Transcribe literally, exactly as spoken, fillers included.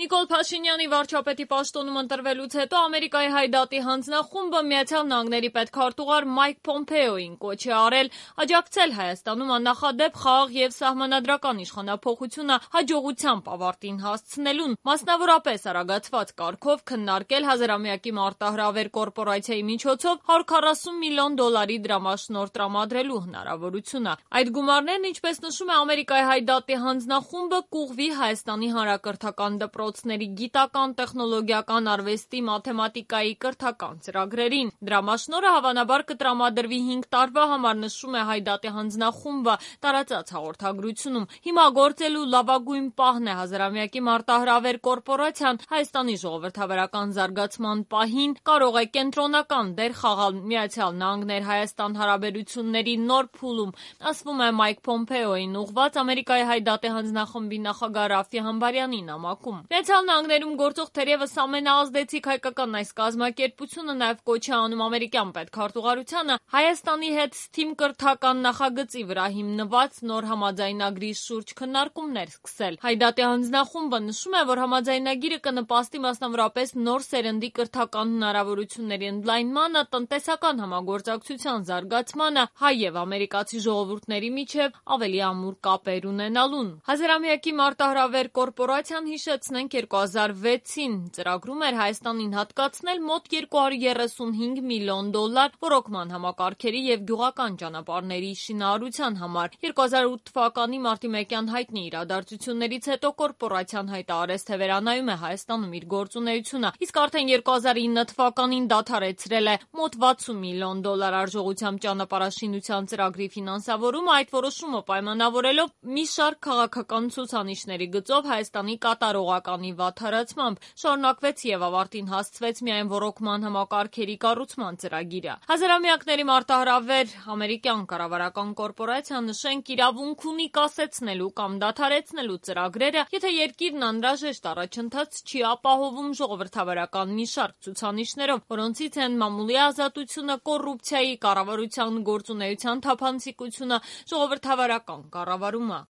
Նիկոլ Փաշինյանի վարչապետի պաշտոնում ընտրվելուց հետո Ամերիկայի հայդատի հանձնախումբը Միացյալ Նահանգների պետքարտուղար Մայք Փոմփեոյին կոչ է արել աջակցել Հայաստանում աննախադեպ խաղաղ եւ սահմանադրական իշխանափոխությունը հաջողությամբ ավարտին հասցնելուն, մասնավորապես արագացված կարգով քննարկել հազարամյակի մարտահրավեր կորպորացիայի միջոցով հարյուր քառասուն միլիոն դոլարի դրամաշնորհ տրամադրելու հնարավորությունը։ Այդ գումարներն, ինչպես նշում է Ամերիկայի հայդատի հանձնախումբը, կուղղվի Հայաստանի հանրակրթական դպրոցների գիտական, տեխնոլոգիական, արվեստի, մաթեմատիկայի, կրթական ծրագրերին։ Դրամաշնորհը հավանաբար կտրամադրվի հինգ տարվա համար, նշում է հայդատի հանձնախումբը տարածած հաղորդագրությունում։ Հիմա գործելու լավագույն պահն է հազարամյակի մարտահրավեր կորպորացիան Հայաստանի ժողովրդավարական զարգացման պահին կարող է կենտրոնական դեր խաղալ Միացյալ Նահանգներ-Հայաստան հարաբերությունների նոր փուլում, ասվում է Մայք Փոմփեոյին ուղղված Ամերիկայի հայդատի հանձնախմբի նախագահ Ռաֆի Համբարյանի նամակում։ Միացյալ Նահանգներում գործող թերևս ամենաազդեցիկ հայկական այս կազմակերպությունը նաև կոչ է անում ամերիկյան պետքարտուղարությանը Հայաստանի հետ թիմ կրթական նախագծի վրա հիմնված նոր համաձայնագրի շուրջ քննարկումներ սկսել։ Հայդատի հանձնախումբը նշում է, որ համաձայնագիրը կնպաստի մասնավորապես նոր սերնդի կրթական հնարավորությունների ընդլայնմանը, տնտեսական համագործակցության զարգացմանը, հայ եւ ամերիկացի ժողովուրդների միջև ավելի ամուր կապեր ունենալուն։ Հազարամյակի մարտահրավեր կորպորացիան, հիշեցնենք, երկու հազար վեցին ծրագրում էր Հայաստանին հատկացնել մոտ երկու հարյուր երեսունհինգ միլիոն դոլար ռոռոկման համակարգերի եւ գյուղական ճանապարհների շինարարության համար։ երկու հազար ութ թվականի մարտի մեկյան հայտնի իրադարձություններից հետո կորպորացիան հայտարարեց, թե վերանայում է Հայաստանում իր գործունեությունը, իսկ արդեն երկու հազար ինը թվականին դադարեցրել է մոտ վաթսուն միլիոն դոլար արժողությամբ ճանապարհաշինության ծրագրի ֆինանսավորումը, այդ որոշումը պայմանավորելով մի շարք քաղաքական ցուցանիշների գծով Հայաստանի կատարողականի վատթարացմամբ շարունակվեց եւ ավարտին հասցվեց միայն ռոռոկման համակարգերի կառուցման ծրագիրը։ Հազարամյակների մարտահրավեր ամերիկյան կառավարական կորպորացիան, նշենք, իրավունք ունի կասեցնելու կամ դադարեցնելու ծրագրերը, եթե երկիրն անհրաժեշտ առաջընթաց չի ապահովում ժողովրդավարական մի շարք ցուցանիշներով, որոնցից են մամուլի ազատությունը, կոռուպցիայի, կառավարության գործունեության թափանցիկությունը, ժողովրդավարական կառավարումը։